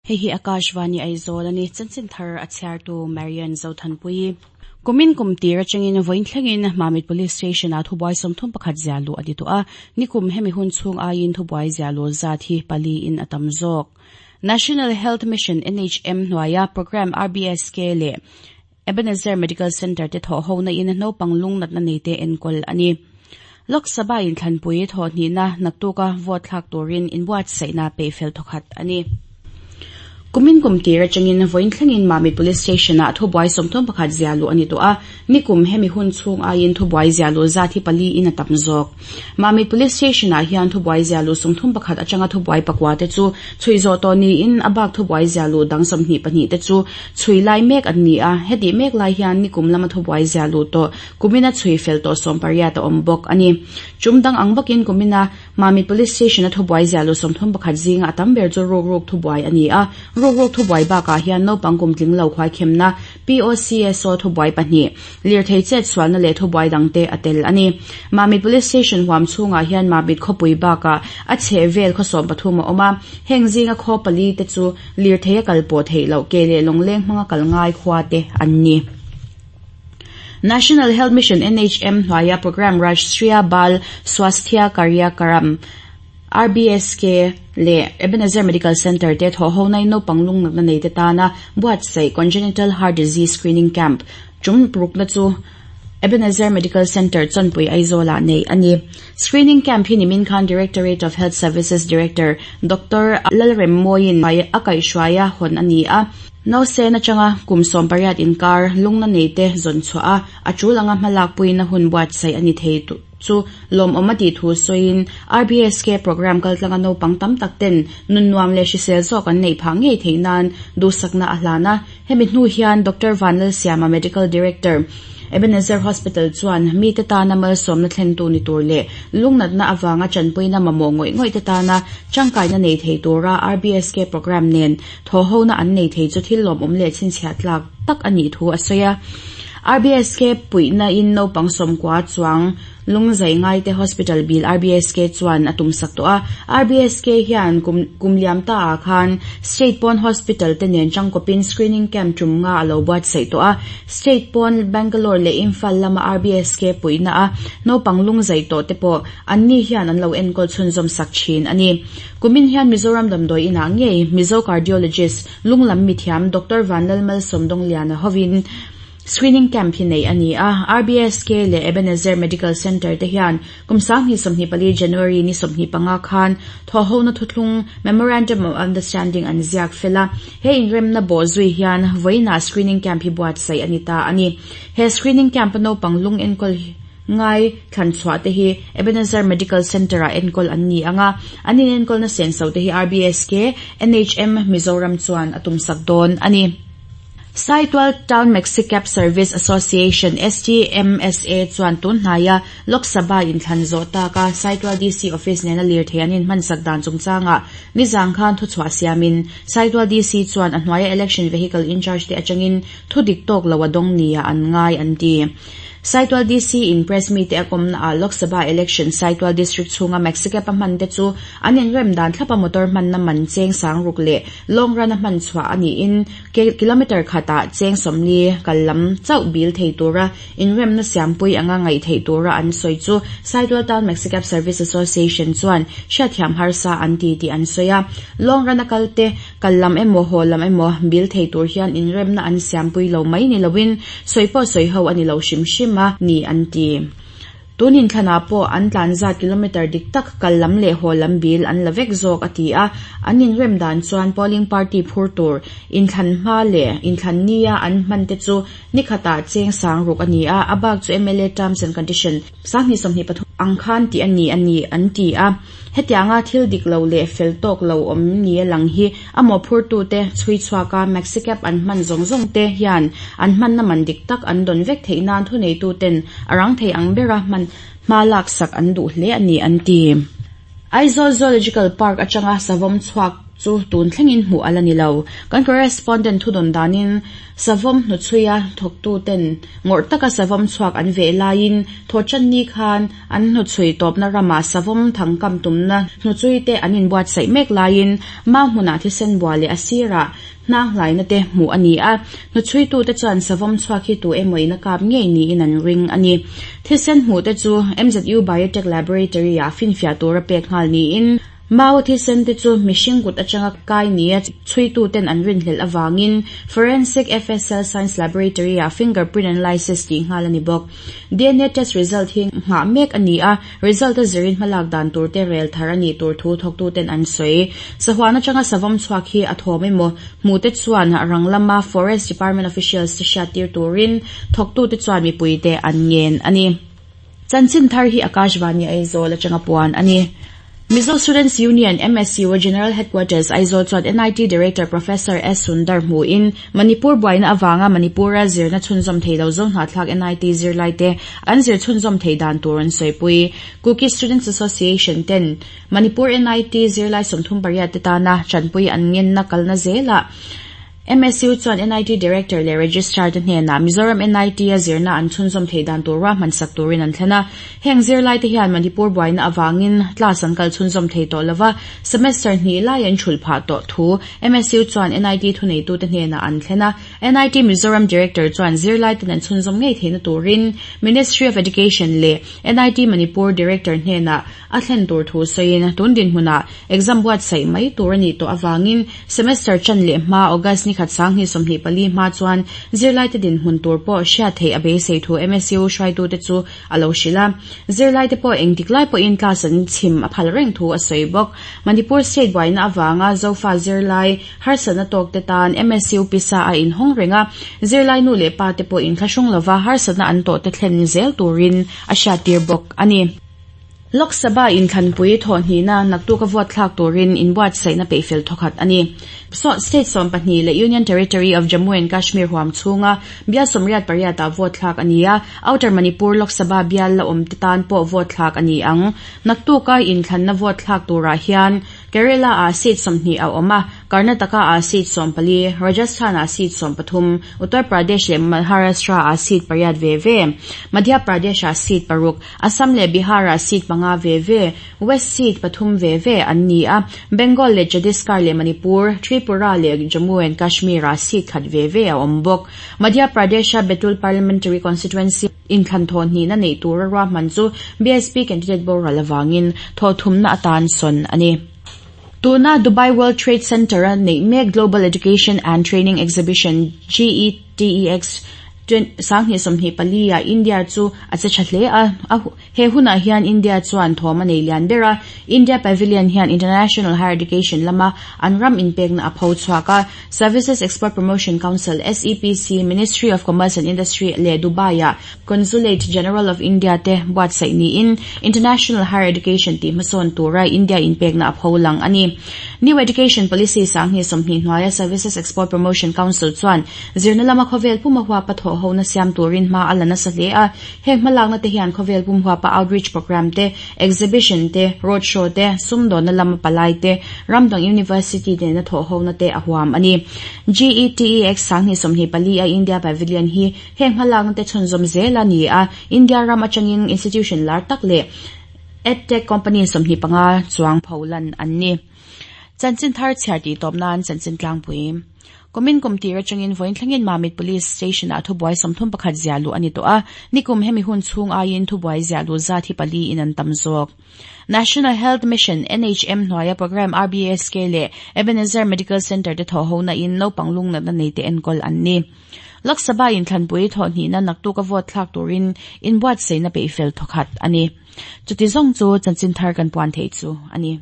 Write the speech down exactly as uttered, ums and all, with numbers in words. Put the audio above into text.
Hei hi Akashvani Aizawl ani chanchin thar a chhiartu Marian Zothanpui. Kumin kum tir atangin vawiin thlengin Mamit Police Station ah thubuai sawmthum pakhat ziahluh a ni tawh a, nikum hemi hun chhung aiin thubuai ziahluh zat hi pali in a tam zawk. National Health Mission N H M hnuaia program R B S K leh Ebenezer Medical Center te thawh hona in naupang lung natna nei te enkawl ani. Lok Sabha in thlanpui thawh hnihna naktuka vote thlak turin inbuatsaihna peihfel thawkhat ani. Kumin kum tir atangin vawiin thlengin Mamit Police Station ah thubuai sawmthum pakhat ziahluh ani tawh a, nikum hemi hun chhung aiin thubuai ziahluh zat hi pali in a tam zawk. Mamit Police Station ah hian thubuai ziahluh sawmthum pakhat atanga thubuai pakua te chu chhui zawh tawh niin a bak thubuai ziahluh dang sawmhnih pahnih te chu chhui lai mek an ni a, heti mek lai hian nikum lama thubuai ziahluh tawh kumina chhui fel tawh sawm pariat a awm bawk ani. Chum dang ang bawkin kumina Mamit Police Station a thubuai ziahluh sawmthum pakhat zinga a tam ber chu ruk ruk thubuai ani a, ruk ruk thubuai bakah hian naupang kum tling lo khuai khemna P O C S O thubuai pahnih, lirthei chet sualna leh thubuai dangte a tel ani. Mamit Police Station huam chhungah hian Mamit khawpui bakah a chheh vel khawsawm pathum a awm a, heng zinga khaw pali te chu lirthei a kal pawh theih loh ke leh lawngleng hmanga kal ngai khua te an ni. National Health Mission N H M hnuaia program Rashtriya Bal Swasthya Karyakram R B S K leh Ebenezer Medical Center te thawh ho na in naupang lung natna nei te tana buatsaih Congenital Heart Disease Screening Camp tum rukna chu Ebenezer Medical Center Chawnpui Aizawl ah nei ani. Screening camp hi nimin khan Directorate of Health Services Director Doctor Lalremmawiin a kaihhruaia hawn ani a. Nausen atanga kum sawm pariat inkar lungna nei te zawn chhuah a, a tul anga hmalak puina hun buatsaih ani thei chu lawmawm a tih thu sawiin R B S K program kaltlanga naupang tam tak ten nun nuam leh hrisel zawk an neih phah ngei theih nan duhsakna a hlan a. Hemi hnu hian Doctor Vanlalsiama, Medical Director, Ebenezer Hospital chuan mi te tana malsawmna thlentu ni tur leh lungnatna awanga chanpuina mamawh ngawih ngawih te tana tangkaina nei thei tura R B S K program nen thawhhona an nei thei chu thil lawmawm leh chhinchhiah tlak tak anih thu a sawi a. R B S K puihna in naupang sawmkua chuang lungzai ngai te hospital bill R B S K chuan a tumsak tawh a. R B S K hian kum liam ta ah khan State Pawn Hospital te nen tangkawpin screening camp tum nga a lo buatsaih tawh a. State Pawn Bangalore leh Imphal lama R B S K puihna a naupang lungzai tawh te pawh anni hian an lo enkawl chhunzawm sak thin ani. Kumin hian Mizoram damdawi inah ngei Mizo cardiologist lunglam mithiam Doctor Vanlalmal Sawmdawngliana hovin screening camp hi nei ani a. R B S K leh Ebenezer Medical Center te hian kum sanghnih sawmhnih pali January ni sawmhnih panga khan thawhhona thuthlung Memorandum of Understanding an ziak fela. He inremna bawh zui hian vawiinah screening camp hi buatsaih ani ta ani. He screening camp a naupang lung enkawl ngai thlan chhuah te hi Ebenezer Medical Center ah enkawl an ni anga, an in enkawlna senso te hi R B S K N H M Mizoram chuan a tumsak dawn ani. Saitual Town Maxicab Service Association S T M S A chuan tun hnaia Lok Sabha in thlan zawh taka Saitual D C Office nena lirthei an in hmansak dan chungchanga nizang khan thuchhuah siamin Saitual D C chuan a hnuaia election vehicle in charge te atangin thudik tawk lo a dawng nia an ngai an ti. Saitual D C in press meet te a kawmna ah Lok Sabha election Saitual District chhunga Maxicab a hman te chu an inrem dan thlapa motor hmanna man cheng sang ruk leh long run a hman chhuah ani in kilometer khatah cheng sawmli kallam chauh bil thei tura inremna siampui anga ngaih theih tura an sawi chu Saitual Town Maxicab Service Association chuan hriatthiam harsa an ti tih an sawi a. Long run a kal te kallam emaw haw lam emaw bil thei tur hian inremna an siampui lo mai ni lovin sawi pawh sawi ho ani lo hrim hrim a ni an ti. Tunin thlanah pawh an tlan zat kilometer dik tak kallam leh haw lam bil an la vek zawk a ti a. An inrem dan chuan polling party phur tur inthlan hma leh inthlan nia an hman te chu nikhatah cheng sang ruk ani a, a bak chu M L A terms and condition sanghnih sawmhnih pathum ang khan tih ani ani an ti a. Hetianga thil dik lo leh fel tawk lo awm ni a lang hi a mawhphurtu te chhui chhuaka Maxicab an hman zawng zawng te hian an hmanna man dik tak an dawn vek theih nan thuneitu ten a rang thei ang bera hman hma lak sak an duh hle ani an ti. Aizawl Zoological Park atanga savawm chhuak chu tun thlengin hmuh ala ni lo. Kan correspondent thudawn danin savawm hnuchhuia thawktu ten ngawrh taka savawm chhuak an veh laiin thawhtanni khan an hnuchhui tawpna ramah savawm thangkam tumna hnuchhui te an inbuatsaih mek laiin mau hmunah thisen bua leh a sirah hnang hlaina te hmuh a ni a. Hnuchhuitu te chuan savawm chhuak hi tu emaw in a kap ngei niin an ring a ni. Thisen hmuh te chu M Z U Biotech Laboratory ah finfiah tura pek nghal niin mau thisen te chu mihring kut atanga kai nia chhuitu ten an rin hlel awangin Forensic F S L Science Laboratory ah fingerprint analysis tih nghal a ni bawk. D N A test result hi ngah mek a ni a, result a zirin hmalak dan tur te rel thar a ni tur thu thawktu ten an sawi. Sahuan atanga savawm chhuak hi a thawm emaw hmu te chuan rang lama Forest Department officials te hriat tir turin thawktu te chuan mipui te an ngen a ni. Chanchin thar hi Akashvani Aizawl atanga puan a ni. Mizo Students Union M S U General Headquarters Aizawl chuan N I T Director Professor S Sundar hmuin Manipur buaina awanga Manipura zirna chhunzawm theilo zo hnahthlak N I T zirlai te an zir chhunzawm thei dan tur an sawipui. Kuki Students Association ten Manipur N I T zirlai sawmthum pariat te tana chanpui an ngenna kalna zela M S U chuan N I T Director leh Registrar te hnenah Mizoram N I T a zirna an chhunzawm thei dan tur ruahman sak turin an thlen a. Heng zirlai te hian Manipur buaina awangin class an kal chhunzawm thei tawh lova semester hnih lai an thul phah tawh thu M S U chuan N I T thuneitu te hnenah an thlen a. N I T Mizoram Director chuan zirlai ten an chhunzawm ngei theihna turin Ministry of Education leh N I T Manipur Director hnenah a thlen tur thu sawiin tun din hmunah exam buatsaih mai tur ani tawh awangin semester chan leh hma August ni khat sang hi sawmhnih pali hma chuan zirlai te din hmun tur pawh hriat theih a beisei thu M S U hruaitu te chu a lo hrilh a. Zirlai te pawh engtik lai pawhin class an chhim a phal reng thu a sawi bawk. Manipur state buaina awanga zofa zirlai harsatna tawk te tan M S U pisa a inhawng renga zirlai nu leh pa te pawh inthlahrung lova harsatna an tawh te thlen zel turin a hriat tir bawk a ni. Lok Sabha inthlanpui thawhnihna naktuk a vote thlak turin inbuatsaihna peihfel thawkhat a ni. State sawm pahnih leh Union Territory of Jammu and Kashmir huam chhunga bial sawmriat pariat ah vote thlak a ni a. Outer Manipur Lok Sabha bial la awm te tan pawh vote thlak a ni ang. Naktuka inthlanna vote thlak turah hian Kerala ah seat sawmhnih a awm a, Karnataka ah seat sawm pali, Rajasthan ah seat sawm pathum, Uttar Pradesh leh Maharashtra ah seat pariat ve ve, Madhya Pradesh ah seat paruk, Assam leh Bihar ah seat panga ve ve, West seat pathum ve ve an ni a, Bengal leh Chhattisgarh leh Manipur, Tripura leh Jammu and Kashmir ah seat khat ve ve a awm bawk. Madhya Pradesh a Betul Parliamentary Constituency inthlan thawhnihna nei tura ruahman chu B S P candidate boral awangin thawhthumna atan sawn a ni. Tuna Dubai World Trade Center a nei mek Global Education and Training Exhibition G E T E X sanghnih sawmhnih pali ah India chu a che tha hle a. He hunah hian India chuan thawm a nei lian ber a. India Pavilion hian International Higher Education lama an ram inpekna a pho chhuak a. Services Export Promotion Council S E P C Ministry of Commerce and Industry leh Dubai ah Consulate General of India te buatsaih niin International Higher Education tih hmasawn tura India inpekna a pho lang a ni. New Education Policy sanghnih sawmhnih hnuaia Services Export Promotion Council chuan zirna lama khawvel puma huapa thawh hona siam turin hma a la nasa hle a. Heng hmalakna te hian khawvel pum huapa outreach program te, exhibition te, road show te, sumdawnna lama palai te, Ramdang University te na thawh hona te a huam a ni. G E T E X sanghnih sawmhnih pali a India Pavilion hi heng hmalakna te chhunzawm zel a ni a. India ram atangin institution lar tak leh edtech company sawmhnih panga chuang pholan an ni. Chanchin thar chhiar tih tawp nan chanchin tlangpui. Komin kumtir atangin voin thlengin Mamit Police Station ah thubuai sawmthum pakhat ziahluh a ni tawh a. Nikum hemi hun chhung aiin thubuai ziahluh zat hi pali in an tam zawk. National Health Mission N H M hnuaia program R B S K leh Ebenezer Medical Center te thawhhona in naupang lungnatna nei te enkawl an ni. Lok Sabha inthlanpui thawhnihna naktuk a vote thlak turin inbuatsaihna peihfel thawkhat a ni. Chuti zawng chu chanchin thar kan puan thei chu a ni.